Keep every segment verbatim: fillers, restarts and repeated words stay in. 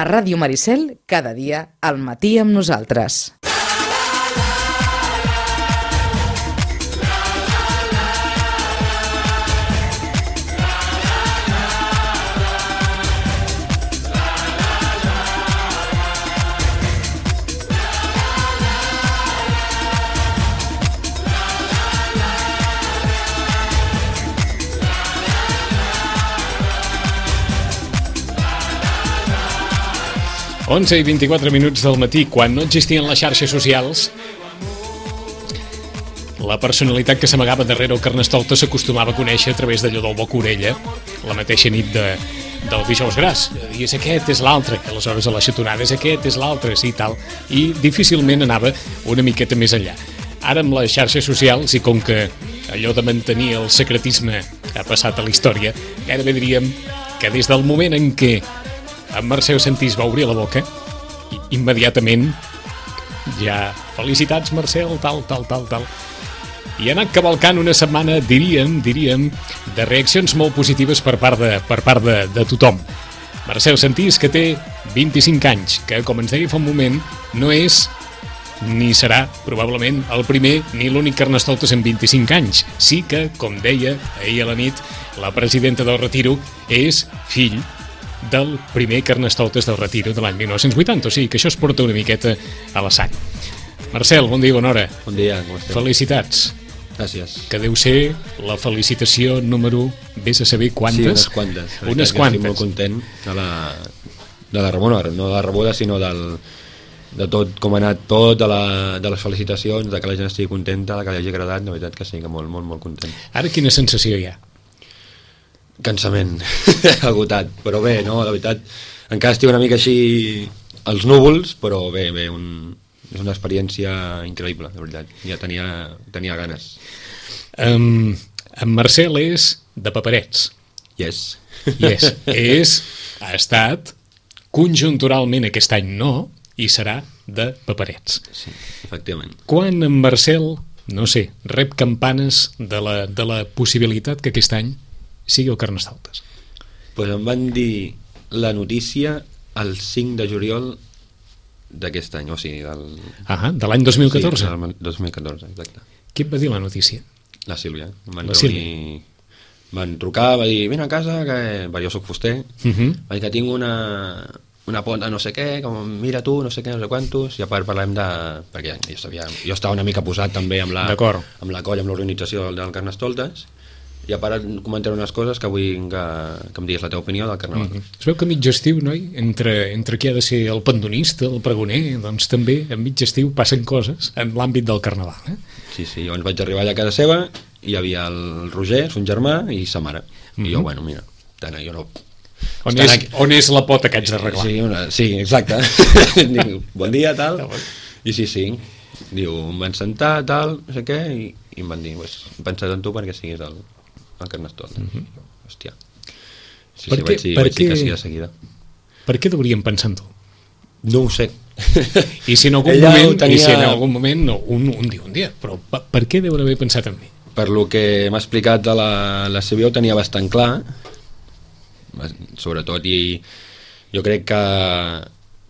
A Ràdio Maricel, cada dia al matí amb nosaltres. onze i vint-i-quatre minuts del matí, quan no existien les xarxes socials, la personalitat que s'amagava darrere el Carnestoltes s'acostumava a conèixer a través d'allò del boca-orella la mateixa nit de, del dijous gras. I és aquest, és l'altre. Aleshores a la xatonada és aquest, és l'altre, sí, tal. I difícilment anava una miqueta més enllà. Ara amb les xarxes socials, i com que allò de mantenir el secretisme ha passat a la història, gairebé diríem que des del moment en què en Mercè Sentís va obrir la boca, immediatament ja, felicitats Marcel, tal, tal, tal, tal. I ha anat cavalcant una setmana, diríem, diríem, de reaccions molt positives per part de, per part de, de tothom. Mercè Sentís, que té vint-i-cinc anys, que, com ens deia fa un moment, no és ni serà, probablement, el primer ni l'únic Carnestoltes en vint-i-cinc anys. Sí que, com deia ahir a la nit, la presidenta del Retiro és fill del primer Carnestoltes del Retiro de l'any mil nou-cents vuitanta, o sigui que això es porta una miqueta a la sang. Marcel, bon dia, bona hora. Bon dia, com esteu? Felicitats. Gràcies. Que deu ser la felicitació número, vés a saber quantes? Sí, unes quantes. Unes quantes. Estic molt content de la, de la rebuda, no de la rebuda, sinó del, de tot, com ha anat tot, de, la, de les felicitacions, de que la gent estigui contenta, de que li hagi agradat, la veritat que sí, que molt, molt, molt content. Ara quina sensació hi ha? Cansament, agotat, però bé, no, la veritat, encara estic una mica així als núvols, però bé, bé, un, és una experiència increïble, de veritat, ja tenia, tenia ganes. Um, en Marcel és de Paperets. Yes. Yes, és, ha estat, conjunturalment aquest any no, i serà de Paperets. Sí, efectivament. Quan en Marcel, no sé, rep campanes de la, de la possibilitat que aquest any sigui el Carnestoltes? Pues em van dir la notícia el cinc de juliol d'aquest any, o sigui, del... Ah, de l'any dos mil catorze? Sí, del dos mil catorze, exacte. Qui et va dir la notícia? La Sílvia. Em van la reunir, Sílvia. Van trucar, va dir, vine a casa, que... jo soc fuster, uh -huh. va dir que tinc una, una ponta no sé què, com mira tu, no sé què, no sé quantos, i a part parlem de... perquè jo, sabia, jo estava una mica posat també amb la, amb la colla, amb l'organització del, del Carnestoltes, i a part comentaré unes coses que vull que, que em diguis la teva opinió del Carnaval. Mm-hmm. Es veu que a mig estiu, noi, entre, entre qui ha de ser el pandonista, el pregoner, doncs també a mig estiu passen coses en l'àmbit del Carnaval. Eh? Sí, sí, llavors vaig arribar allà a casa seva, hi havia el Roger, son germà, i sa mare. Mm-hmm. I jo, bueno, mira, tant, jo no... On és, aquí... on és la pota que haig d'arreglar? Sí, una... sí, exacte. Diu, bon dia, tal. I sí, sí. Diu, em van sentar, tal, no sé què, i, i em van dir, pues, he pensat en tu perquè siguis el... el Carnestoltes. Mm-hmm. Hòstia. Sí, per sí, què, vaig dir, per vaig dir què, que sí de seguida. Per què deuríem pensar en tu? No ho sé. I si en algun Ella moment, tenia... i si en algun moment no, un, un dia, un dia, però per, per què deuen haver pensat en mi? Per lo que m'ha explicat de la, la Sílvia ho tenia bastant clar, sobretot, i jo crec que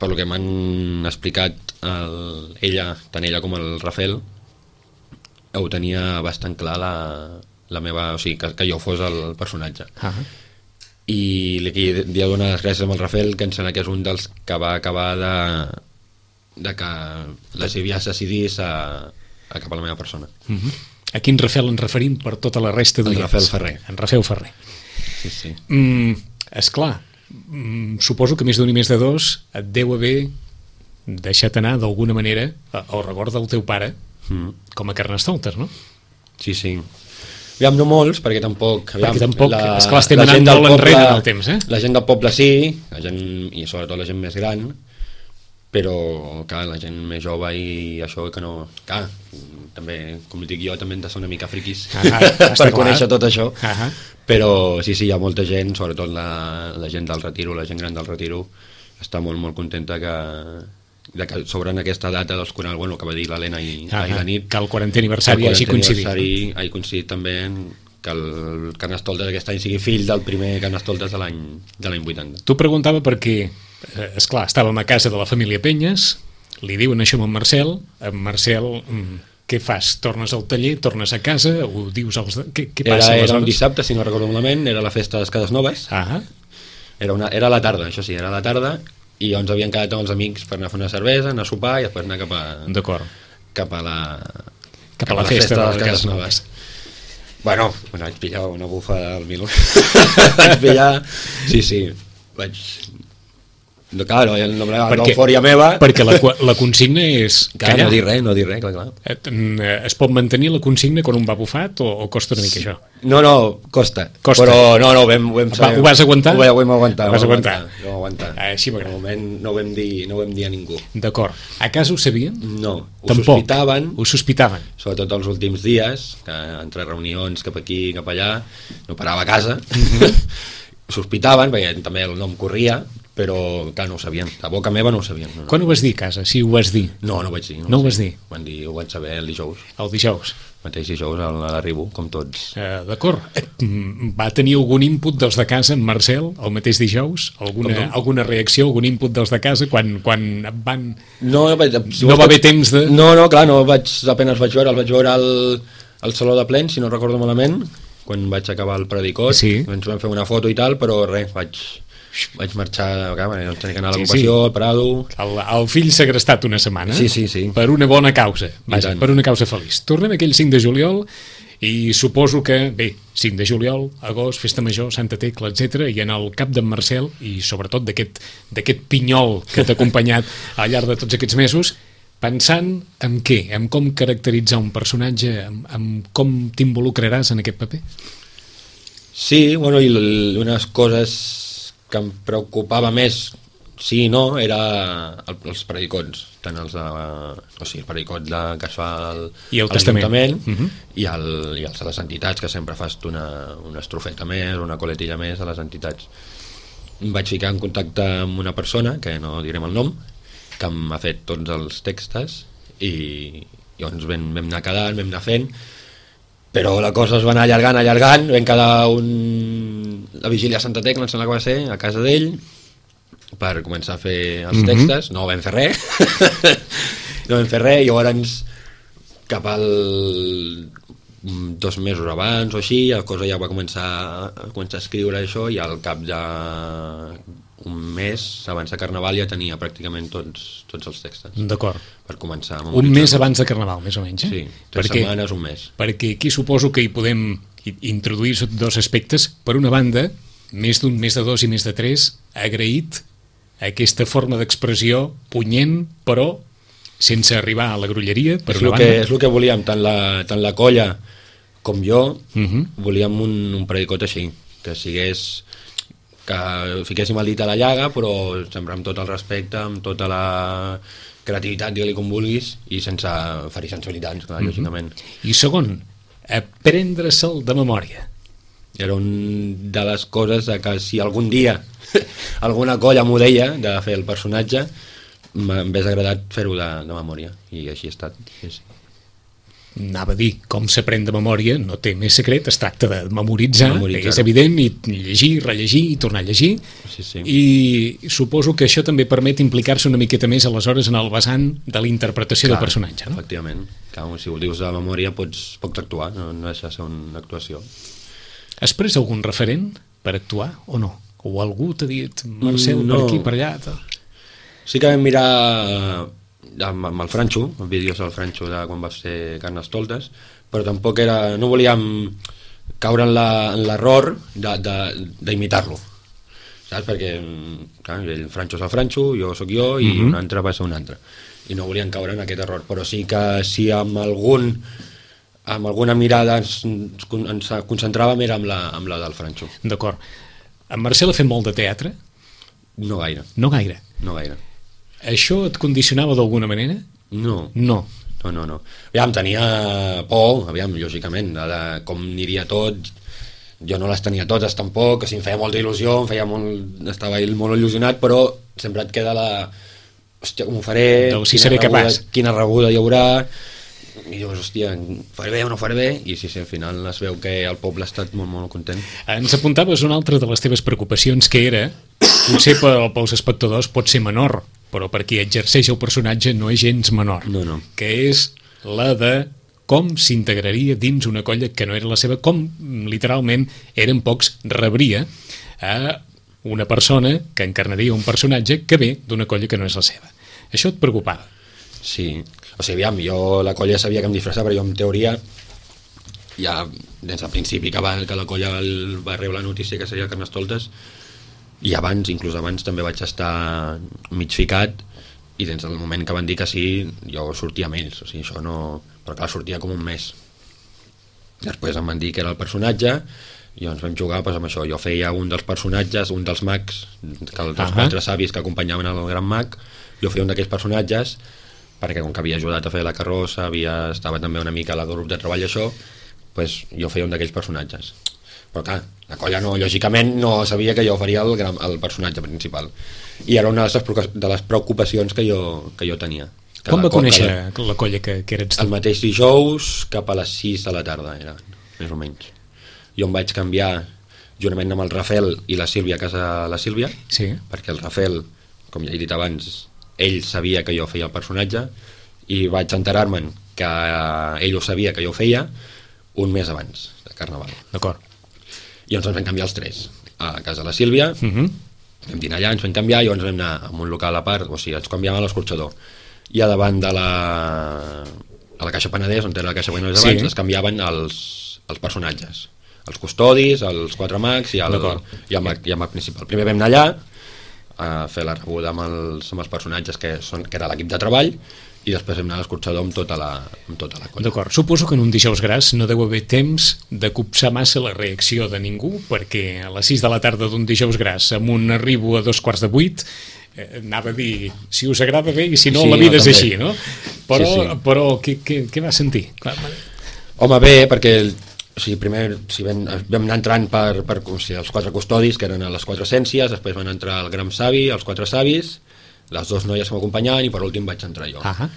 per lo que m'han explicat el, ella, tant ella com el Rafael, ho tenia bastant clar la la meva, o sigui, que, que jo fos el personatge. Uh -huh. I li havia donar les gràcies amb el Rafael, que em sembla que és un dels que va acabar de, de que la Sílvia es decidís a, a cap a la meva persona. Uh -huh. A quin Rafael ens referim per tota la resta de el Rafael Ferrer. En Rafael Ferrer. Sí, sí. Mm, esclar, mm, suposo que més d'un i més de dos et deu haver deixat anar d'alguna manera el record del teu pare mm. com a Carnestoltes, no? Sí, sí. Aviam, no molts, perquè tampoc... Aviam, perquè tampoc, la, esclar, estem anant molt enrere en el temps, eh? La gent del poble sí, la gent, i sobretot la gent més gran, però, clar, la gent més jove i això que no... Clar, també, com dic jo, també hem de ser una mica friquis ah, per conèixer tot això, ah, però sí, sí, hi ha molta gent, sobretot la, la gent del Retiro, la gent gran del Retiro, està molt, molt contenta que... de que sobre en aquesta data dels quaranta, bueno, que va dir l'Helena i, ah, i la nit, que el quarantè aniversari hagi coincidit, hagi coincidit també que el Carnestoltes aquest any sigui fill del primer Carnestoltes de l'any de l'any vuitanta. Tu preguntava per què eh, esclar, estàvem a casa de la família Penyes, li diuen això amb en Marcel, en Marcel, mm, què fas? Tornes al taller, tornes a casa, ho dius als... De... Què, què passa? Era, era un dissabte, si no recordo malament, era la festa de les Cases Noves. Ah. Era, una, era a la tarda, això sí, era a la tarda, i ens havien quedat amb els amics per anar a fer una cervesa, anar a sopar i després anar cap a... D'acord. Cap a la... Cap a la, la festa, festa de les Cases Noves. Bueno, bueno, vaig pillar una bufa del Milo. Vaig pillar... Sí, sí, vaig... No, clar, no, l'eufòria meva... Perquè la, la consigna és... Clar, no dir res, no dir res, clar, clar. Es pot mantenir la consigna quan un va bufat o, o costa una mica això? No, no, costa. costa. Però no, no, ho vam, ho vam saber. Ho vas aguantar? Ho vam aguantar. Ho vas aguantar? Ho vam aguantar. Ah, així m'agrada. De moment no ho vam dir, no ho vam dir a ningú. D'acord. A casa ho sabien? No, ho Tampoc. sospitaven. Ho sospitaven. Sobretot els últims dies, que entre reunions cap aquí, cap allà, no parava a casa. Sospitaven, perquè també el nom corria, però clar, no ho sabien, a boca meva no ho sabien. No, no. Quan ho vas dir a casa, si ho vas dir? No, no ho vaig dir. No, no ho vas dir? Van dir, ho vaig saber el dijous. El dijous? El mateix dijous a l'arribo, com tots. Uh, D'acord. Va tenir algun input dels de casa, en Marcel, el mateix dijous? Alguna, alguna reacció, algun input dels de casa, quan, quan van... No, no, si no va haver temps de... No, no, clar, no vaig, apenas vaig veure, el vaig veure al, al Saló de Plens, si no recordo malament, quan vaig acabar el predicot, sí. Ens vam fer una foto i tal, però res, vaig... vaig marxar, no tenia que anar a l'ocupació, sí, sí. al Prado... El, el fill segrestat una setmana, sí, sí, sí. per una bona causa, vaja, per una causa feliç. Tornem aquell cinc de juliol i suposo que, bé, cinc de juliol, agost, festa major, Santa Tecla, etcètera, i en el cap d'en Marcel, i sobretot d'aquest pinyol que t'ha acompanyat al llarg de tots aquests mesos, pensant en què? En com caracteritzar un personatge, en, en com t'involucraràs en aquest paper? Sí, bueno, i unes coses que em preocupava més, sí i no, era el, els predicots, tant els de, o sigui, el predicot de, que es fa al, I el testament, uh-huh. i, el, i els de les entitats, que sempre fas una, una estrofeta més, una coletilla més a les entitats. Em vaig ficar en contacte amb una persona, que no direm el nom, que m'ha fet tots els textos, i llavors vam, vam anar quedant, vam anar fent, però la cosa es va anar allargant, allargant, vam quedar un... la vigília a Santa Tecla, em sembla que va ser, a casa d'ell, per començar a fer els mm-hmm. textos, no vam fer res, no vam fer res, i llavors cap al dos mesos abans o així, la cosa ja va començar a, començar a escriure això, i al cap de un mes, abans de Carnaval, ja tenia pràcticament tots, tots els textos. D'acord. Per començar a un mes abans de Carnaval, més o menys, eh? Sí, tres perquè, setmanes, un mes. Perquè aquí suposo que hi podem introduir dos aspectes. Per una banda, més d'un, més de dos i més de tres, agraït aquesta forma d'expressió punyent, però sense arribar a la grolleria, per és una banda. Que, és el que volíem, tant la, tant la colla com jo, uh-huh. volíem un, un predicot així, que sigués... que fiquéssim el dit a la llaga, però sempre amb tot el respecte, amb tota la creativitat, digue-li com vulguis, i sense ferir sensibilitats, clar, mm-hmm. lògicament. I segon, aprendre-se'l de memòria. Era un de les coses que si algun dia alguna colla m'ho deia de fer el personatge, m'hagués agradat fer-ho de, de memòria, i així ha estat. Sí, sí. Anava a dir, com s'aprèn de memòria no té més secret, es tracta de memoritzar, memoritzar. És evident, i llegir, rellegir i tornar a llegir, sí, sí. I suposo que això també permet implicar-se una miqueta més aleshores en el vessant de la interpretació del personatge, no? Efectivament, clar, si ho dius de memòria pots, pots actuar, no, no deixa de ser una actuació. Has pres algun referent per actuar o no? O algú t'ha dit, Marcel, no. per aquí, per allà? Tal. Sí que vam mirar amb, amb el Franxo, amb vídeos del Franxo de quan va ser Carnestoltes, però tampoc era, no volíem caure en l'error d'imitar-lo, saps? Perquè clar, el Franxo és el Franxo, jo sóc jo i mm-hmm. un altre va ser un altre, i no volíem caure en aquest error, però sí que si amb algun amb alguna mirada ens, ens concentràvem era amb la, amb la del Franxo. D'acord. En Marcel ha fet molt de teatre? No gaire. No gaire? No gaire. Això et condicionava d'alguna manera? No. No. No, no, no. Aviam, tenia por, aviam, lògicament, de, de com aniria tot. Jo no les tenia totes tampoc, que si em feia molta il·lusió, em feia molt, estava molt il·lusionat, però sempre et queda la... Hòstia, com ho faré? Del si seré rebuda, capaç. Quina rebuda hi haurà? I dius, hòstia, faré bé o no faré bé? I sí, sí, al final es veu que el poble ha estat molt, molt content. Ens apuntaves una altra de les teves preocupacions, que era potser pel, pels espectadors pot ser menor, però per qui exerceix el personatge no és gens menor, No, no. que és la de com s'integraria dins una colla que no era la seva, com literalment eren pocs, rebria a una persona que encarnaria un personatge que ve d'una colla que no és la seva. Això et preocupava? Sí, o sigui, aviam, jo la colla sabia que em disfressava, però jo en teoria ja des del principi que, va, que la colla el, va rebre la notícia que seria Carnestoltes, i abans, inclús abans també vaig estar mig ficat, i des del moment que van dir que sí jo sortia amb ells, o sigui, això no... però clar, sortia com un mes. Després em van dir que era el personatge i ens vam jugar pues, amb això. Jo feia un dels personatges, un dels mags, que els uh-huh. quatre savis que acompanyaven el gran mag, jo feia un d'aquells personatges perquè com que havia ajudat a fer la carrossa, havia, estava també una mica al grup de treball això, pues, jo feia un d'aquells personatges. Però clar, la colla no, lògicament no sabia que jo faria el, gran, el personatge principal. I era una de les, de les preocupacions que jo, que jo tenia. Que Com va co conèixer la, la colla que, que eres tu? El mateix dijous cap a les sis de la tarda, era, més o menys. Jo em vaig canviar juntament amb el Rafel i la Sílvia a casa la Sílvia, sí. perquè el Rafel, com ja he dit abans, ell sabia que jo feia el personatge i vaig enterar-me'n que ell ho sabia que jo ho feia un mes abans de Carnaval. D'acord. I ens vam canviar els tres a casa la Sílvia, uh -huh. vam dinar allà, ens vam canviar i llavors vam anar a un local a part, o sigui, ens canviàvem a l'escorxador i a davant de la a la Caixa Penedès, on era la Caixa Penedès abans, sí. es canviaven els, els personatges, els custodis, els quatre mags i el, i el, mag, i el mag principal. Primer vam anar allà a fer la rebuda amb els, amb els personatges que, són, que era l'equip de treball, i després hem anat a l'escorxador amb tota la, amb tota la colla. D'acord, suposo que en un dijous gras no deu haver temps de copsar massa la reacció de ningú, perquè a les sis de la tarda d'un dijous gras amb un arribo a dos quarts de vuit eh, anava a dir si us agrada bé i si no, sí, la vida no, és també. Així, no? Però, sí, sí. però què, què, què va sentir? Clar. Home, bé, perquè o sigui, primer si vam, vam anar entrant per, per o sigui, els quatre custodis, que eren a les quatre essències, després van entrar el gran savi, els quatre savis, les dues noies que m'acompanyaven i per últim vaig entrar jo. Uh-huh.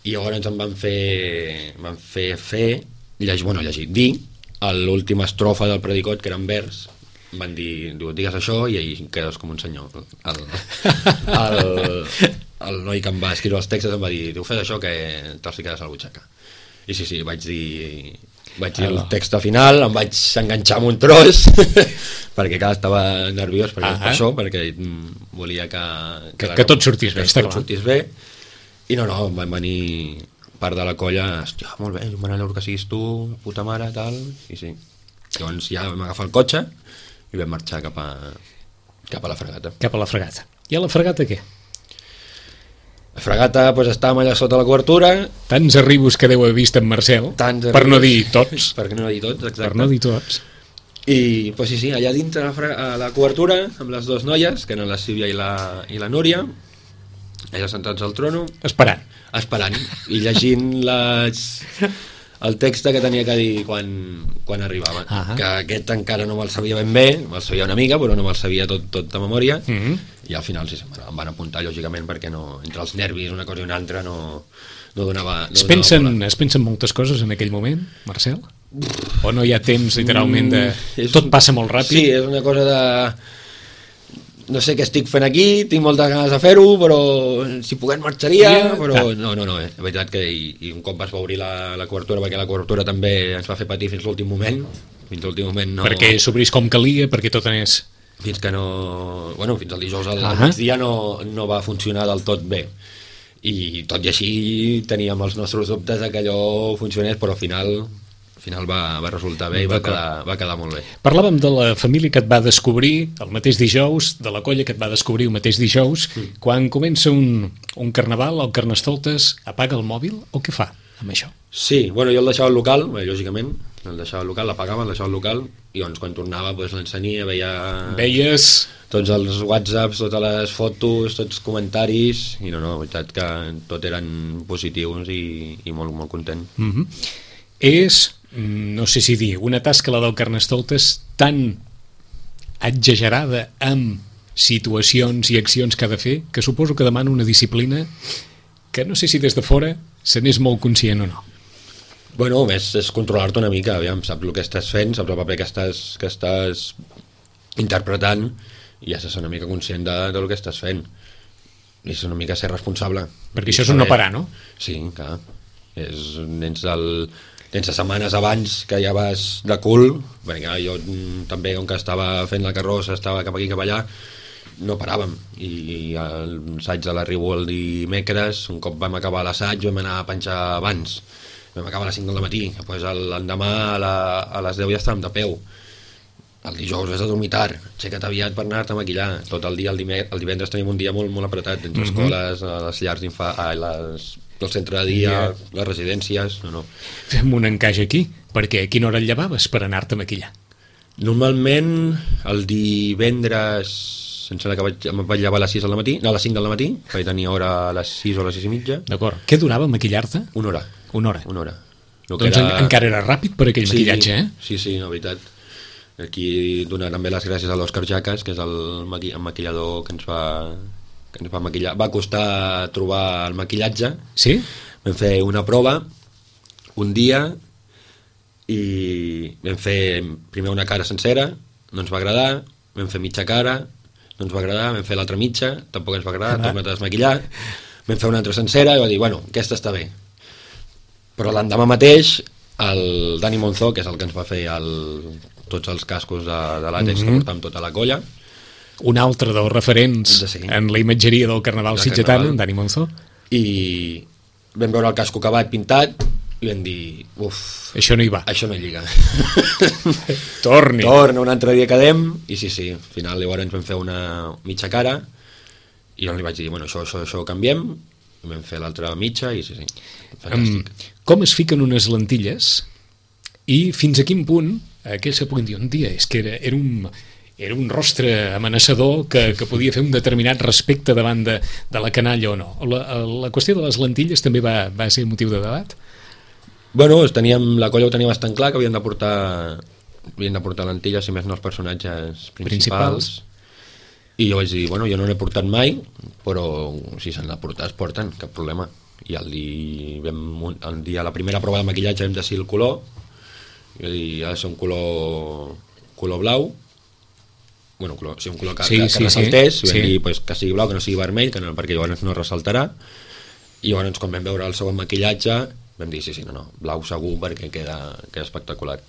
I llavors em van fer van fer fer llegir, bueno, llegir, dir l'última estrofa del predicot, que era en vers. Em van dir, diu, digues això i ahí quedes com un senyor. El, el, el noi que em va escriure els textos em va dir, diu, fes això que te'ls ficaràs a la butxaca. I sí, sí, vaig dir vaig dir el text final, em vaig enganxar amb un tros perquè clar, estava nerviós perquè, uh-huh. per això, perquè volia que que, que, que tot sortís bé, que tot sortís bé. I no, no, van venir part de la colla, hòstia, molt bé, m'agrada que siguis tu, puta mare, tal, i sí. Llavors ja vam agafar el cotxe i vam marxar cap a, cap a la fregata. Cap a la fregata. I a la fregata què? La fregata, doncs, estàvem allà sota la cobertura. Tants arribos que deu haver vist en Marcel, per no dir tots. Per no dir tots, exacte. Per no dir tots. I, doncs sí, sí, allà dintre a la, a la cobertura, amb les dues noies, que eren la Sílvia i la, i la Núria, allà sentats al trono. Esperant. Esperant, i llegint les, el text que tenia que dir quan, quan arribava. Uh-huh. Que aquest encara no me'l sabia ben bé, me'l sabia una mica, però no me'l sabia tot, tot de memòria. Uh-huh. I al final sí, em van apuntar lògicament perquè no, entre els nervis una cosa i una altra no, no donava, no es, pensen, donava es pensen moltes coses en aquell moment, Marcel? O no hi ha temps literalment de... Mm, tot passa molt ràpid? Sí, és una cosa de... no sé què estic fent aquí, tinc moltes ganes de fer-ho, però si pogués marxaria, yeah, però clar. no, no, no, és veritat que i, i un cop es va obrir la, la cobertura, perquè la cobertura també ens va fer patir fins l'últim moment, fins l'últim moment no... Perquè s'obrís com calia, perquè tot anés... Fins que no... Bueno, fins al dijous al uh-huh. migdia no, no va funcionar del tot bé. I tot i així teníem els nostres dubtes de que allò funcionés, però al final, al final va, va resultar bé i va quedar, va quedar molt bé. Parlàvem de la família que et va descobrir el mateix dijous, de la colla que et va descobrir el mateix dijous. Mm. Quan comença un, un carnaval, el Carnestoltes apaga el mòbil o què fa amb això? Sí, bueno, jo el deixava al local, bé, lògicament, el deixava al local, l'apagava, el deixava al local, i doncs quan tornava doncs, l'ensenia, veia... Veies... Tots els whatsapps, totes les fotos, tots els comentaris, i no, no, la veritat que tot eren positius i, i molt, molt content. Mm-hmm. És, no sé si dir, una tasca, la del Carnestoltes, tan exagerada amb situacions i accions que ha de fer, que suposo que demana una disciplina que no sé si des de fora se n'és molt conscient o no. Bueno, més és controlar-te una mica, aviam, saps el que estàs fent, saps el paper que estàs, que estàs interpretant, i has de ser una mica conscient de, de lo que estàs fent i és una mica ser responsable. Perquè això és un no parar, no? Sí, clar. És, tens, el, tens setmanes abans que ja vas de cul, perquè jo també, com que estava fent la carrossa, estava cap aquí, cap allà, no paràvem. I l'assaig de l'arribo el dimecres, un cop vam acabar l'assaig, vam anar a penjar abans. Vam acabar a les cinc del matí, després l'endemà a, la, a les deu ja estàvem de peu. El dijous has de dormir tard, aixeca't aviat per anar-te a maquillar. Tot el dia, el, dimecres, el divendres tenim un dia molt, molt apretat, entre mm-hmm. escoles, les llars d'infants, el centre de dia, yeah. les residències... No, no. Fem un encaix aquí, perquè a quina hora et llevaves per anar-te a maquillar? Normalment el divendres, sense que vaig, em vaig llevar a les sis del matí, no, a les cinc del matí, vaig tenir hora a les sis o a les sis i mitja. D'acord. Què durava maquillar-te? Una hora. Una hora. Una hora. Doncs era... encara era ràpid per aquell sí, maquillatge, eh? Sí, sí, la veritat. Aquí donar també les gràcies a l'Òscar Jacas, que és el, maqui el maquillador que ens va, que ens va maquillar. Va costar trobar el maquillatge. Sí? Vam fer una prova un dia i vam fer primer una cara sencera, no ens va agradar, vam fer mitja cara, no ens va agradar, vam fer l'altra mitja, tampoc ens va agradar, tornem a desmaquillar, vam fer una altra sencera i va dir, bueno, aquesta està bé. Però l'endemà mateix el Dani Monzó, que és el que ens va fer el, tots els cascos de, de l'àtex mm-hmm. que portàvem tota la colla, un altre dels referents sí. en la imatgeria del Carnaval sitgetana, Dani Monzó, i vam veure el casco acabat pintat i vam dir, uf, això no hi va, això no hi lliga. torni torna un altre dia quedem i sí, sí, al final llavors ens vam fer una mitja cara i jo li vaig dir, bueno, això, això, això ho canviem, i vam fer l'altra mitja i sí, sí, fantàstic. Um, com es fiquen unes lentilles i fins a quin punt aquells que puguin dir un dia, és que era, era, un, era un rostre amenaçador que, que podia fer un determinat respecte davant de, de la canalla o no. La, la qüestió de les lentilles també va, va ser motiu de debat? Bueno, teníem, la colla ho tenia bastant clar, que havien de portar, havien de portar lentilles, si més no els personatges principals. principals. I jo vaig dir, bueno, jo no n'he portat mai, però si s'han de portar, es porten, cap problema. I el dia, vam, el dia, la primera prova de maquillatge vam decidir el color, i va dir, ha de ser un color, color blau, bueno, color, sí, un color que, sí, que, que sí, ressaltés, sí, i vam sí. dir pues, que sigui blau, que no sigui vermell, que no, perquè llavors no ressaltarà, i llavors quan vam veure el segon maquillatge vam dir, sí, sí, no, no, blau segur perquè queda, queda espectacular.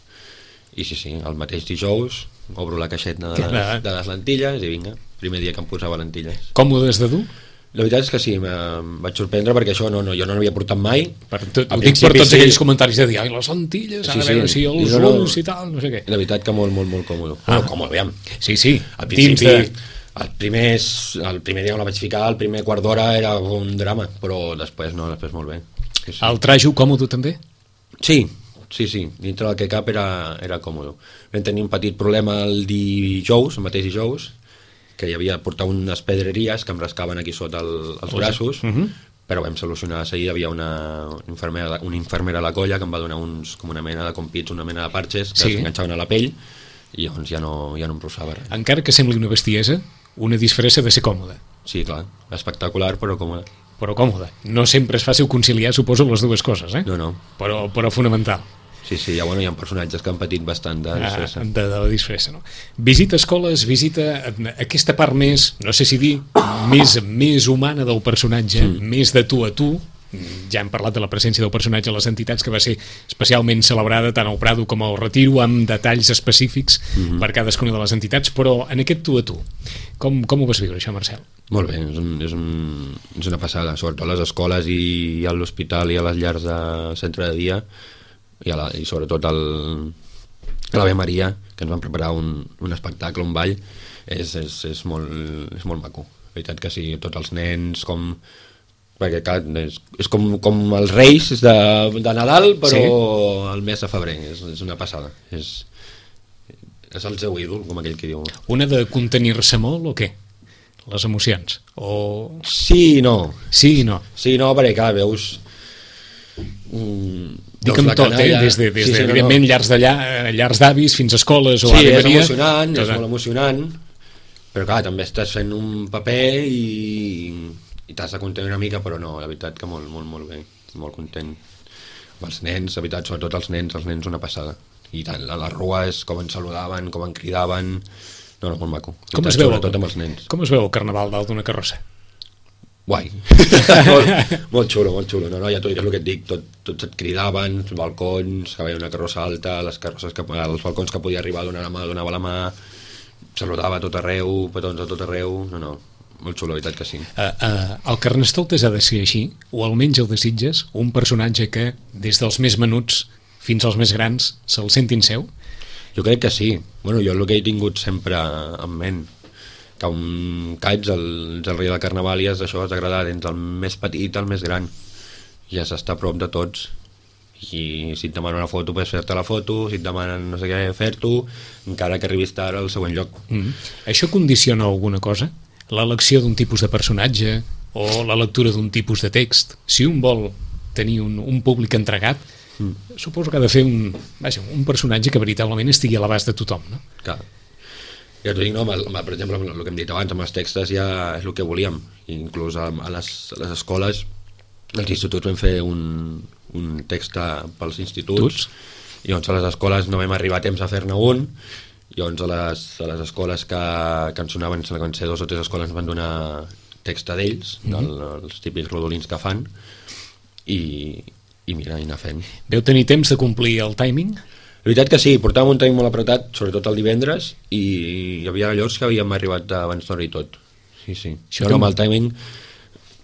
I sí, sí, el mateix dijous obro la caixeta de les, de les lentilles i vinga, primer dia que em posava lentilles. Còmodes de dur? La veritat és que sí, em vaig sorprendre perquè això no, no, jo no n'havia portat mai. Per tot, ho dic per tots sí. aquells comentaris de dir, ai, les lentilles, sí, a veure sí. si els no, no, ulls i tal, no sé què. La veritat que molt, molt, molt còmode. Ah. Bueno, còmode, aviam. Sí, sí. Al principi, de... el, primer, el primer dia on la vaig ficar, el primer quart d'hora era un drama, però després no, després molt bé. Sí, sí. El trajo còmode també? Sí, sí, sí, dintre del que cap era, era còmode. Vam tenir un petit problema el dijous, el mateix dijous, que hi havia portat unes pedreries que em rascaven aquí sota el, els braços, uh-huh. però vam solucionar de seguida. Hi havia una infermera, una infermera a la colla que em va donar uns, com una mena de compits, una mena de parxes que sí. s'enganxaven a la pell i llavors ja no, ja no em rossava res. Encara que sembli una bestiesa, una disfressa de ser còmoda. Sí, clar, espectacular però còmoda. Però còmoda. No sempre és fàcil conciliar, suposo, les dues coses, eh? No, no. Però, però fonamental. Sí, sí, ja, bueno, hi ha personatges que han patit bastant de disfressa. Ah, de, de la disfressa, no? Visita escoles, visita aquesta part més, no sé si dir, més, més humana del personatge, mm. més de tu a tu. Ja hem parlat de la presència del personatge a les entitats, que va ser especialment celebrada tant al Prado com al Retiro, amb detalls específics mm-hmm. per cadascuna de les entitats, però en aquest tu a tu, com, com ho vas viure, això, Marcel? Molt bé, és, un, és, un, és una passada, sobretot a les escoles i a l'hospital i a les llars de centre de dia, i, a la, i sobretot el, a l'Ave Maria, que ens van preparar un, un espectacle, un ball, és, és, és, molt, és molt maco. La veritat que sí, tots els nens, com... perquè clar, és, és com, com els Reis de, de Nadal, però sí. el mes de febrer, és, és una passada. És, és el seu ídol, com aquell que diu. Una de contenir-se molt o què? Les emocions? O... Sí i no. Sí i no. Sí i no, perquè clar, veus... Mm, Dic amb tot, canalla, eh? Des de, des sí, sí, de no, evidentment, no. llars, d'allà, llars d'avis fins a escoles o sí, Ave Maria. Sí, és emocionant, tot... és molt emocionant, però clar, també estàs fent un paper i, i t'has de contenir una mica, però no, la veritat que molt, molt, molt bé, molt content. Amb els nens, la veritat, sobretot els nens, els nens una passada. I tant, a les rues, com ens saludaven, com ens cridaven, No, no, molt maco. Com es veu, sobretot amb els nens. Com es veu el carnaval dalt d'una carrossa? Guai. molt, molt xulo, molt xulo. No, no, ja t'ho dic, és el que et dic, tot, tots et cridaven, els balcons, que veia una carrossa alta, les carrosses que, els balcons que podia arribar a donar la mà, donava la mà, saludava a tot arreu, petons a tot arreu, no, no, molt xulo, la veritat que sí. Uh, uh, el Carnestoltes ha de ser així, o almenys el desitges, un personatge que, des dels més menuts fins als més grans, se'l sentin seu? Jo crec que sí. Bueno, jo el que he tingut sempre en ment, que un caig, el, el rei del carnaval, i és això, és agradar entre el més petit al més gran, i has d'estar a prop de tots, i si et demanen una foto pots fer-te la foto, si et demanen no sé què, fer-t'ho, encara que arribis tard al següent lloc. Mm. Això condiciona alguna cosa? L'elecció d'un tipus de personatge o la lectura d'un tipus de text? Si un vol tenir un, un públic entregat, mm. suposo que ha de fer un, vaja, un personatge que veritablement estigui a l'abast de tothom, no? Clar. Ja t'ho dic, no, amb el, per exemple, amb el que hem dit abans, amb els textos ja és el que volíem. Inclús a, a, les, a les escoles, als instituts vam fer un, un text pels instituts, Tuts? I doncs a les escoles no vam arribar a temps a fer-ne un, i doncs a les, a les escoles que, que ens sonaven, que van ser dos o tres escoles, ens van donar text d'ells, mm -hmm. del, els típics rodolins que fan, i, i mira, i anar fent. Veu tenir temps de complir el timing? La veritat que sí, portàvem un timing molt apretat, sobretot el divendres, i hi havia llocs que havíem arribat abans d'hora i tot. Sí, sí. Això no, no, amb el timing,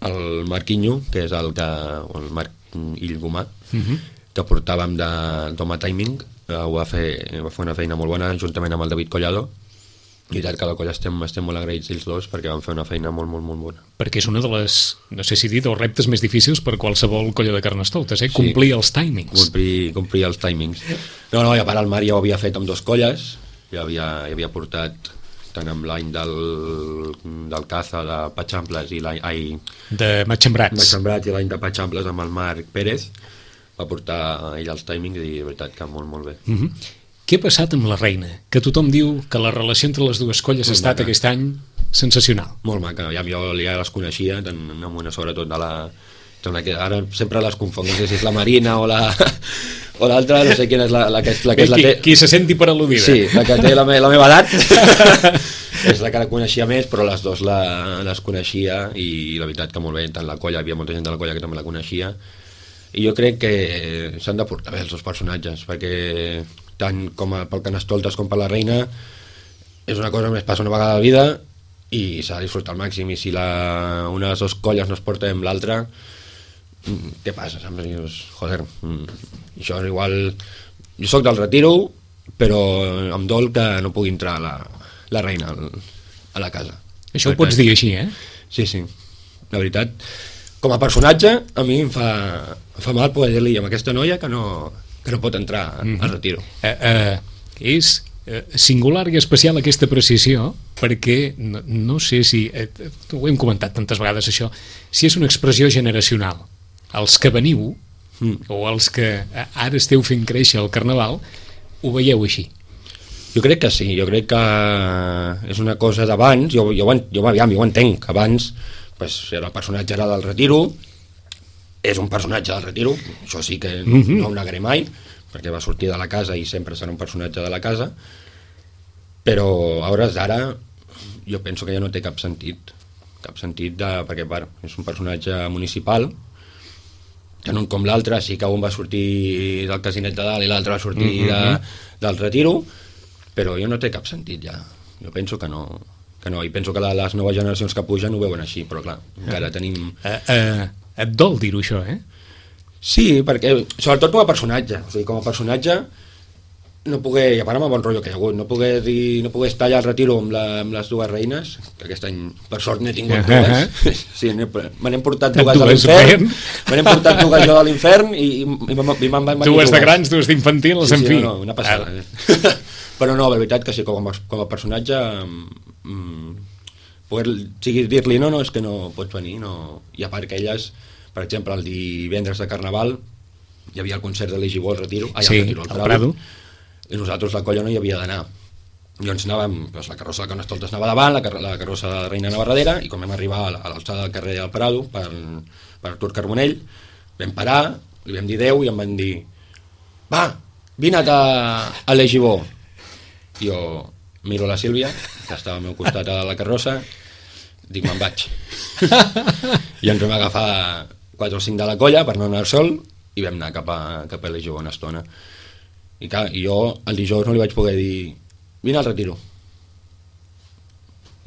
el Marquinho, que és el que, el Marc Illgomà, uh -huh. que portàvem de d'home timing, ho va fer, va fer una feina molt bona, juntament amb el David Collado, i tant que a la colla estem, estem molt agraïts ells dos, perquè van fer una feina molt, molt, molt bona. Perquè és una de les, no sé si dir, dels reptes més difícils per qualsevol colla de Carnestoltes, eh? Sí. Complir els timings. Complir, complir els timings. No, no, i a part el Marc ja ho havia fet amb dos colles, ja havia, ja havia portat tant amb l'any del, del Caza de Patxamples i l'any... Ai, de Matxembrats. Matxembrats i l'any de Patxamples amb el Marc Pérez, va portar ell els timings i de veritat que molt, molt bé. Uh -huh. Què ha passat amb la reina? Que tothom diu que la relació entre les dues colles ha estat maca. Aquest any sensacional. Molt maca, ja, jo ja les coneixia, tant amb una sobretot de la... Ara sempre les confonc, no sé si és la Marina o la... o l'altra, no sé quina és la, la que, és, la que és la qui, té... qui se senti per al·ludida. Sí, la que té la, me, la meva edat és la que la coneixia més, però les dues la, les coneixia, i la veritat que molt bé, tant la colla, hi havia molta gent de la colla que també la coneixia, i jo crec que s'han de portar bé els dos personatges, perquè tant com a, pel Carnestoltes com per la reina és una cosa que més passa una vegada a la vida i s'ha de disfrutar al màxim, i si la, una de les dues colles no es porta amb l'altra, què passa? Dius, joder, això és igual, jo sóc del Retiro, però em dol que no pugui entrar la, la reina a la casa. Això ho pots dir així, eh? Sí, sí, la veritat, com a personatge a mi em fa, em fa mal poder dir-li amb aquesta noia que no, que no pot entrar mm-hmm. al Retiro. Uh, uh, és uh, singular i especial aquesta precisió, perquè no, no sé si, eh, ho hem comentat tantes vegades això, si és una expressió generacional. Els que veniu, mm. o els que ara esteu fent créixer el Carnaval, ho veieu així? Jo crec que sí, jo crec que és una cosa d'abans, jo, jo, jo, jo, jo ho entenc, abans pues, era el personatge era del Retiro, és un personatge del Retiro, això sí que mm-hmm. no ho negaré mai, perquè va sortir de la casa i sempre serà un personatge de la casa, però a hores d'ara jo penso que ja no té cap sentit, cap sentit de, perquè part, és un personatge municipal, tant un com l'altre, sí que un va sortir del Casinet de Dalt i l'altre va sortir mm-hmm. de, del Retiro, però jo no té cap sentit ja, jo penso que no, que no, i penso que la, les noves generacions que pugen ho veuen així, però clar, encara tenim... Uh, uh, et dol dir-ho això, eh? Sí, perquè, sobretot com a personatge, o sigui, com a personatge no poder, i a part amb el bon rotllo que hi ha hagut, no poder, dir, no poder estar allà al Retiro amb, la, amb les dues reines, que aquest any per sort n'he tingut uh -huh. dues, sí, me n'hem portat dues de l'infern, me n'hem portat dues jo de l'infern i, i, i m'han venit dues. Dues de grans, dues d'infantils, sí, en sí, fi. No, no, una passada. Eh? Però no, la veritat que sí, com a, com a personatge mm, poder sigui, dir-li no, no, és que no pots venir, no. I a part que elles, per exemple, el divendres de Carnaval hi havia el concert de l'Egibó al Retiro, ah, sí, al Retiro, al Prado, Prado, i nosaltres la colla no hi havia d'anar. Llavors anàvem, doncs la carrossa de Carnestoltes anava davant, la, car la carrossa de la Reina anava darrere, i quan vam arribar a l'alçada del carrer del Prado per, per Artur Carbonell, vam parar, li vam dir adeu i em van dir va, vine a, a l'Egibó. I jo, miro la Sílvia, que estava al meu costat a la carrossa, dic, me'n vaig. I ens vam agafar quatre o cinc de la colla per no anar al sol i vam anar cap a, cap a l'Egeu una estona. I clar, i jo el dijous no li vaig poder dir, vine al retiro.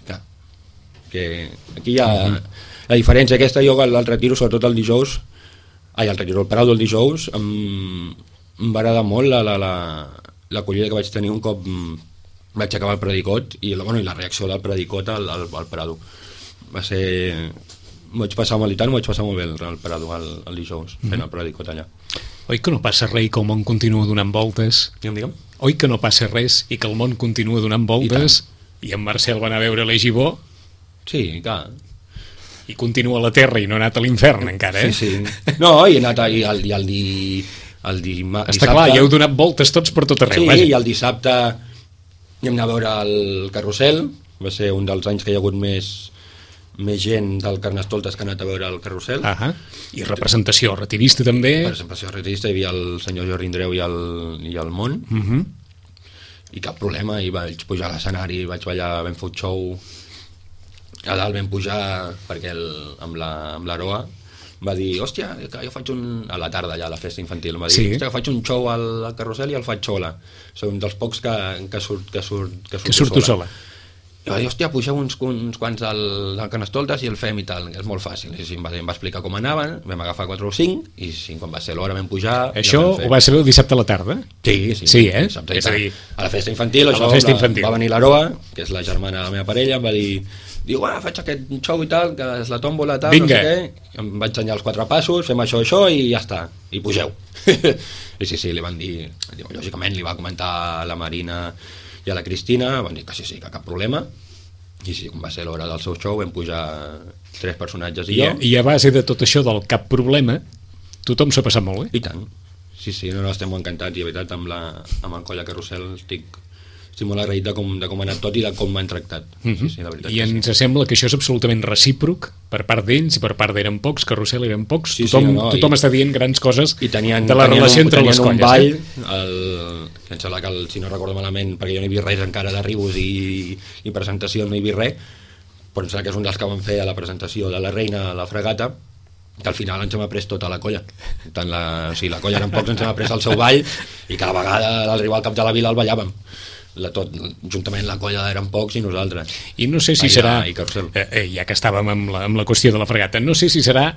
Clar, que aquí hi ha... Uh-huh. La diferència aquesta, jo al retiro, sobretot el dijous, ai, al retiro, el Prado el dijous, em, em va agradar molt la, la, la, l'acollida que vaig tenir un cop vaig acabar el predicot i la, bueno, i la reacció del predicot al, al, al Prado. Va ser... M'ho vaig passar molt i tant, m'ho vaig passar molt bé al Prado el, el dijous, fent mm-hmm. el predicot allà. Oi que no passa res i que el món continua donant voltes? Digue'm, digue'm. Oi que no passa res i que el món continua donant voltes? I, I en Marcel va anar a veure l'Egibó? Sí, clar. I continua a la Terra i no ha anat a l'infern encara, eh? Sí, sí. No, i he anat a, i el, i el, di, el di, Està dissabte... clar, ja heu donat voltes tots per tot arreu. Sí, vaja. i el dissabte vam anar a veure el Carrusel, va ser un dels anys que hi ha hagut més, més gent del Carnestoltes que ha anat a veure el Carrusel. Ah, i representació retirista també. Representació retirista, hi havia el senyor Jordi Indreu i el, i el Mont, uh-huh. i cap problema, i vaig pujar a l'escenari, vaig ballar, vam fer un show... A dalt vam pujar perquè el, amb la, amb l'Aroa va dir, hòstia, que jo faig un... a la tarda ja a la festa infantil, va dir, sí. hòstia, que faig un show al, al Carrusel i el faig sola. Soc un dels pocs que, que, surt, que, surt, que, que surto sola. sola. I va dir, hòstia, pugeu uns, uns quants al, al Carnestoltes i el fem i tal, és molt fàcil. I sí, em, va, em va explicar com anaven, vam agafar quatre o cinc i sí, quan va ser l'hora vam pujar... Això ja ho va saber el dissabte a la tarda? Sí, sí. Sí, eh? Dissabte, és a dir, a la festa infantil, això, la festa la, infantil. va venir l'Aroa, que és la germana de la meva parella, em va dir... Diu, ah, faig aquest show i tal, que és la tòmbola, tal, Vinga. no sé què. Em vaig ensenyar els quatre passos, fem això, això i ja està. I pugeu. I sí, sí, li van dir... Diu, lògicament li va comentar a la Marina i a la Cristina, van dir que sí, sí, que cap problema. I sí, com va ser l'hora del seu show, vam pujar tres personatges i, I jo. I a base de tot això del cap problema, tothom s'ha passat molt bé. I tant. Sí, sí, no, no, estem molt encantats i, de veritat, amb, la, amb el Colla Carrusel estic... estic molt agraït de com, de com ha anat tot i de com m'han tractat. Mm-hmm. Sí, sí, la veritat I ens sí. sembla que això és absolutament recíproc per part d'ells i per part d'eren pocs, Carrusel eren pocs, Sí, sí, tothom, no, no, tothom i, està dient grans coses i tenien, de la tenien relació un, entre les un colles. ball, eh? el, que em sembla que el, si no recordo malament, perquè jo no hi vi res encara d'arribos i, i presentació no hi vi res, però em sembla que és un dels que van fer a la presentació de la reina a la fregata, que al final ens hem après tota la colla. Tant la, o sigui, la colla eren pocs, ens hem après el seu ball i cada vegada a l'arribar al cap de la vila el ballàvem. La tot, juntament la colla eren pocs i nosaltres. I no sé si Aire serà, i Carrusel. eh, eh, ja que estàvem amb la, amb la qüestió de la fregata, no sé si serà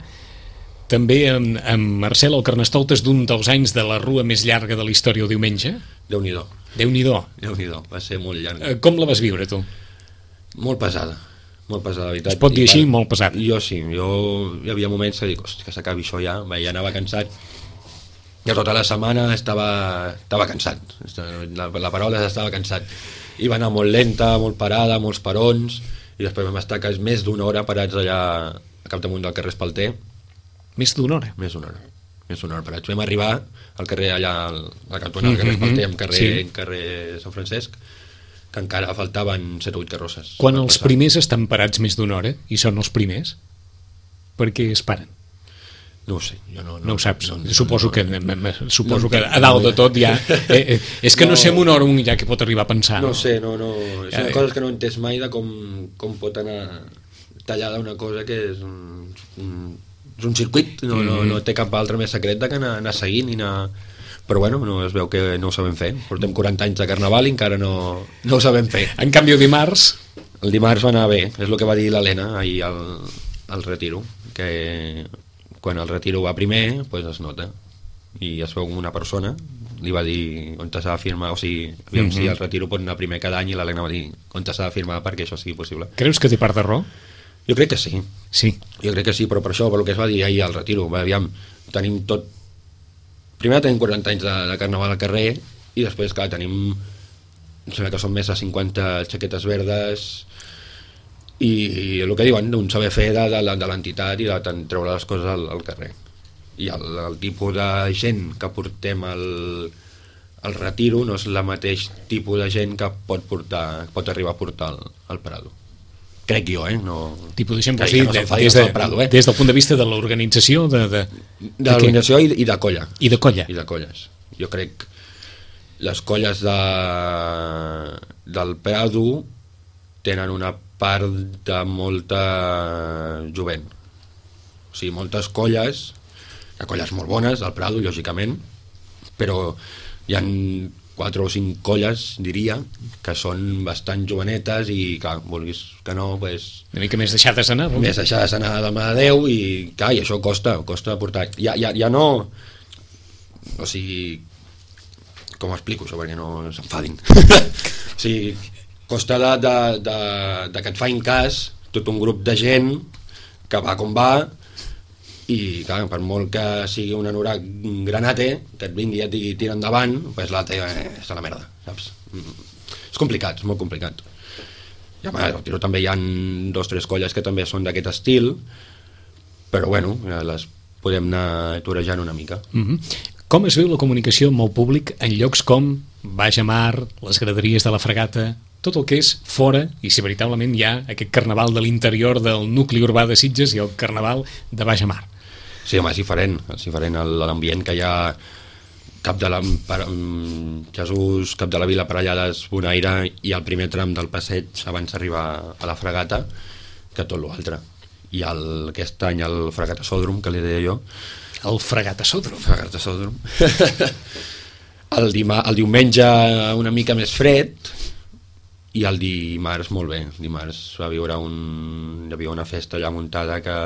també amb, amb Marcel el Carnestoltes d'un dels anys de la rua més llarga de la història o diumenge? Déu-n'hi-do. Déu-n'hi-do. Déu-n'hi-do, va ser molt llarg. Eh, com la vas viure, tu? Molt pesada. Molt pesada, la veritat. Es pot dir I així, va, molt pesat. Jo sí, jo hi havia moments que dic, hosti, que s'acabi això ja, va, ja anava cansat. Ja tota la setmana estava, estava cansat, la, la paraula és estava cansat. I va anar molt lenta, molt parada, molts parons, i després vam estar quasi més d'una hora parats allà a capdamunt del carrer Espalter. Més d'una hora? Més d'una hora. Més d'una hora parats. Vam arribar al carrer allà, al, al cantonal del carrer Espalter, amb carrer, sí. carrer Sant Francesc, que encara faltaven set o vuit carrosses. Quan els primers estan parats més d'una hora, i són els primers, per què es paren? No ho sé, jo no... No, no ho saps, no, no, suposo, no, que, no, suposo no, que a dalt de tot ja... Eh, eh, és que no, no sé en una hora un ja que pot arribar a pensar. No, no sé, no, no... És una eh, cosa que no he entès mai de com, com pot anar tallada una cosa que és un, un, és un circuit, no, mm. no, no té cap altre més secret que anar, anar seguint i anar... Però bueno, no, es veu que no ho sabem fer. Portem quaranta anys de carnaval i encara no, no ho sabem fer. En canvi, el dimarts... El dimarts va anar bé, és el que va dir l'Helena ahir al, al retiro, que quan el retiro va primer, pues es nota. I es veu una persona, li va dir on s'ha de firmar, o sigui, aviam mm-hmm. si el retiro pot anar primer cada any, i l'Helena va dir on s'ha de firmar perquè això sigui possible. Creus que té part de raó? Jo crec que sí. Sí. Jo crec que sí, però per això, per el que es va dir ahir al retiro, va, aviam, tenim tot... Primer tenim quaranta anys de, de carnaval al carrer i després, clar, tenim... Em sembla que són més de cinquanta xaquetes verdes i, i el que diuen, un saber fer de, de, de l'entitat i de treure les coses al, al carrer. I el, el tipus de gent que portem al, al retiro no és el mateix tipus de gent que pot, portar, pot arribar a portar al, al Prado. Crec jo, eh? No... Tipus de gent, Crec vols dir, que no de, s'enfadi des, el de, Prado, eh? des del punt de vista de l'organització, de... De, de l'organització i, i de colla. I de colla. I de colles. Jo crec... les colles de, del Prado tenen una part de molta jovent. O sigui, moltes colles, hi ha colles molt bones del Prado, lògicament, però hi ha quatre o cinc colles, diria, que són bastant jovenetes i, clar, vulguis que no, pues, una mica més deixades anar, no? més deixades anar de mà de Déu i, clar, i això costa, costa portar. Ja, ja, ja no... O sigui... Com ho explico, això, perquè no s'enfadin. O sigui, costa de, de, de, de que et fain cas tot un grup de gent que va com va i, clar, per molt que sigui un anorac granate, que et vingui i et digui tira endavant, pues l'altre eh, és a la merda, saps? És complicat, és molt complicat. I home, al tiro també hi ha dos o tres colles que també són d'aquest estil, però bueno, les podem anar torejant una mica. Mm-hmm. Com es viu la comunicació amb el públic en llocs com Baix a Mar, les graderies de la Fregata, tot el que és fora, i si veritablement hi ha aquest carnaval de l'interior del nucli urbà de Sitges i el carnaval de Baix a Mar? Sí, home, és diferent, és diferent l'ambient que hi ha cap de la, per, Jesús, cap de la Vila Parellades, Bonaire i el primer tram del passeig abans d'arribar a la Fregata que tot l'altre. I el, aquest any el Fregatasòdrom, que li deia jo. El Fregatasòdrom? Fregatasòdrom. el, dima, el diumenge una mica més fred i el dimarts molt bé. El dimarts va viure un, hi havia una festa allà muntada que...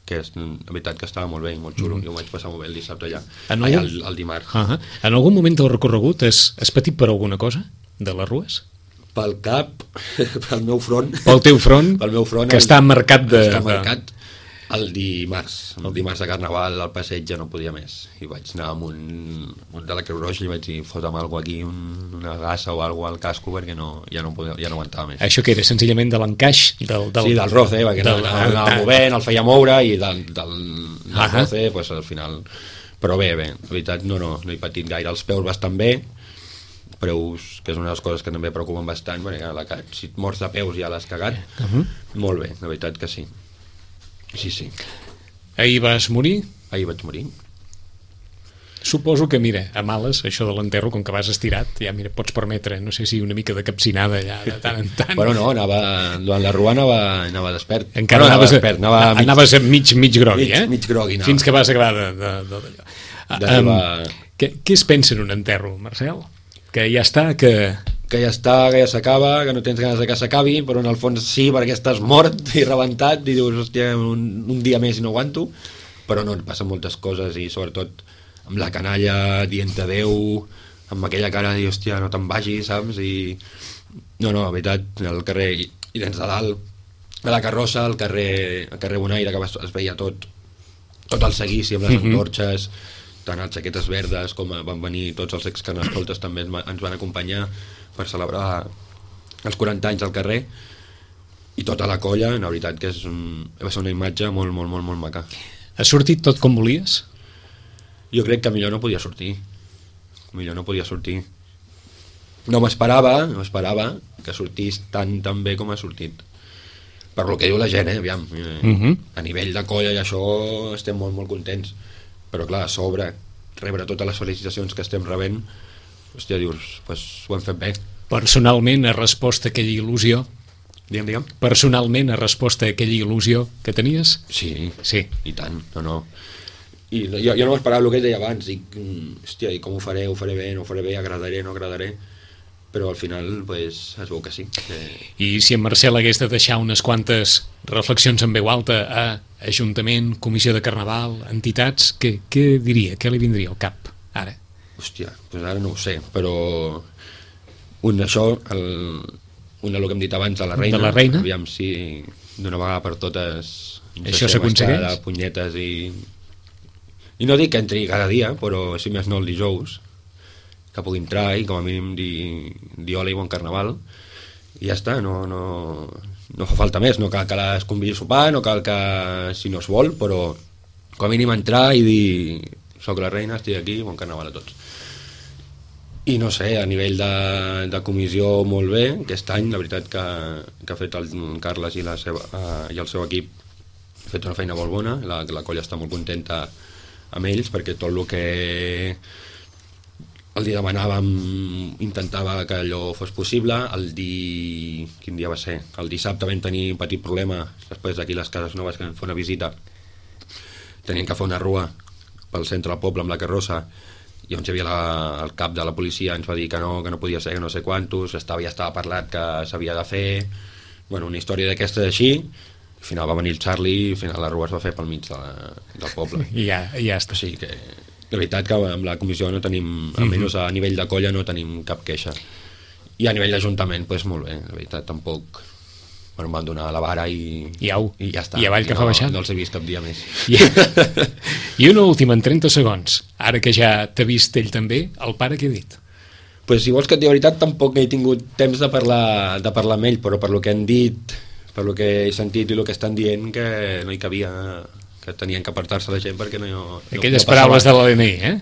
que és, la veritat que estava molt bé, molt xulo. Mm. Jo ho vaig passar molt bé el dissabte allà, en allà algun... el, el dimarts. Uh -huh. En algun moment del recorregut has, has patit per alguna cosa de les rues? Pel cap, pel meu front. Pel teu front, pel meu front que el, està marcat de... Està marcat el dimarts. El dimarts de Carnaval al passeig ja no podia més. I vaig anar amb un, un de la Creu Roja i vaig dir, fota'm alguna aquí, un, una gassa o alguna al casco, perquè no, ja, no podia, ja no aguantava més. Això que era senzillament de l'encaix? Del, del... Sí, del roce, perquè del, anava, anava movent, el feia moure i del, del, del uh -huh. roce, pues, al final... Però bé, bé, la veritat no, no, no he patit gaire. Els peus bastant bé, preus, que és una de les coses que també preocupen bastant, perquè la, si et mors de peus ja l'has cagat. Uh -huh. Molt bé, la veritat que sí. Sí, sí. Ahir vas morir? Ahir vaig morir. Suposo que, mira, a males, això de l'enterro, com que vas estirat, ja, mira, pots permetre, no sé si una mica de capcinada ja de tant en tant. Bueno, no, anava, durant la rua anava, anava despert. Encara no, anaves, anava despert, anava mig, anaves mig, mig grogui, mig, eh? Mig grogui, anava. Fins que vas acabar de, de, de, d'allò. Um, què, què es pensa en un enterro, Marcel? Que ja està, que... que ja està, que ja s'acaba, que no tens ganes de que s'acabi, però en el fons sí, perquè estàs mort i rebentat i dius, hòstia, un, un dia més i no aguanto, però no, passen moltes coses i sobretot amb la canalla dient adeu, amb aquella cara de dir, hòstia, no te'n vagis, saps? I no, no, la veritat, al carrer i, i dents de dalt, a la carrossa, al carrer, al carrer Bonaire, que es veia tot, tot el seguici amb les mm-hmm. antorxes, tant les jaquetes verdes com van venir tots els excarnestoltes també ens van acompanyar per celebrar els quaranta anys al carrer i tota la colla, la veritat que és un, va ser una imatge molt, molt, molt, molt maca. Ha sortit tot com volies? Jo crec que millor no podia sortir. Millor no podia sortir. No m'esperava, no m'esperava que sortís tan, tan bé com ha sortit. Per lo que diu la gent, eh, aviam. Uh-huh. A nivell de colla i això estem molt, molt contents. Però clar, a sobre, rebre totes les felicitacions que estem rebent, hòstia, dius, pues ho hem fet bé. Personalment ha respost a aquella il·lusió? Digue'm, digue'm. Personalment ha respost a aquella il·lusió que tenies? Sí, sí. I tant, no, no. I jo, jo no m'esperava el que deia abans, dic, hòstia, i com ho faré, ho faré bé, no ho faré bé, agradaré, no agradaré, però al final, pues, es veu que sí. Que... I si en Marcel hagués de deixar unes quantes reflexions en veu alta a Ajuntament, Comissió de Carnaval, entitats, què, què diria, què li vindria al cap, ara? Hòstia, doncs ara no ho sé, però un d'això, el, un del que hem dit abans de la reina, de la reina? Aviam si d'una vegada per totes això s'aconsegueix? De punyetes i... I no dic que entri cada dia, però si més no el dijous, que pugui entrar i com a mínim dir, dir hola i bon carnaval, i ja està, no, no, no fa falta més, no cal que les convidi a sopar, no cal que, si no es vol, però com a mínim entrar i dir soc la reina, estic aquí, bon carnaval a tots. I no sé, a nivell de, de comissió molt bé, aquest any la veritat que, que ha fet el Carles i, la seva, uh, i el seu equip ha fet una feina molt bona, la, la colla està molt contenta amb ells perquè tot el que el dia demanàvem, intentava que allò fos possible. El di... Quin dia va ser? El dissabte vam tenir un petit problema, després d'aquí les Cases Noves, que vam fer una visita. Tenien que fer una rua pel centre del poble amb la carrossa, i on hi havia la, el cap de la policia ens va dir que no, que no podia ser, que no sé quantos, estava, ja estava parlat que s'havia de fer, bueno, una història d'aquesta així. Al final va venir el Charlie i al final la rua es va fer pel mig de la, del poble. I ja, ja està. O sigui que, de veritat que amb la comissió no tenim, almenys a nivell de colla no tenim cap queixa. I a nivell d'Ajuntament, doncs molt bé, de veritat, tampoc... Bueno, em van donar la vara i, I, au, i ja està. I avall que no, fa baixant. No els he vist cap dia més. I, I una última, en trenta segons. Ara que ja t'ha vist ell també, el pare què ha dit? Pues, si vols que et digui la veritat, tampoc he tingut temps de parlar, de parlar amb ell, però per lo que han dit, per lo que he sentit i el que estan dient, que no hi cabia, que tenien que apartar-se la gent perquè no... no Aquelles no paraules de l'A D N I, eh?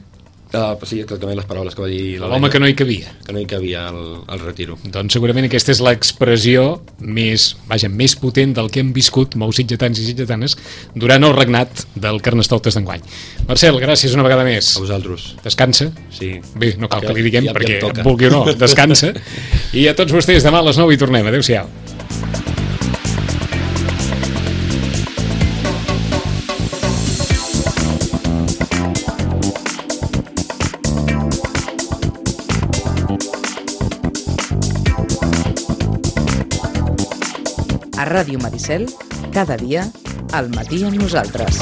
Uh, sí, exactament les paraules que va dir l'home que no hi cabia. Que no hi cabia al, al retiro. Doncs segurament aquesta és l'expressió més, vaja, més potent del que hem viscut molts sitgetans i sitgetanes durant el regnat del Carnestoltes d'enguany. Marcel, gràcies una vegada més. A vosaltres. Descansa. Sí. Bé, no cal que, que li diguem ja, perquè ja vulgui o no, descansa. I a tots vostès, demà a les nou hi tornem. Adéu-siau. A Ràdio Maricel, cada dia, al matí amb nosaltres.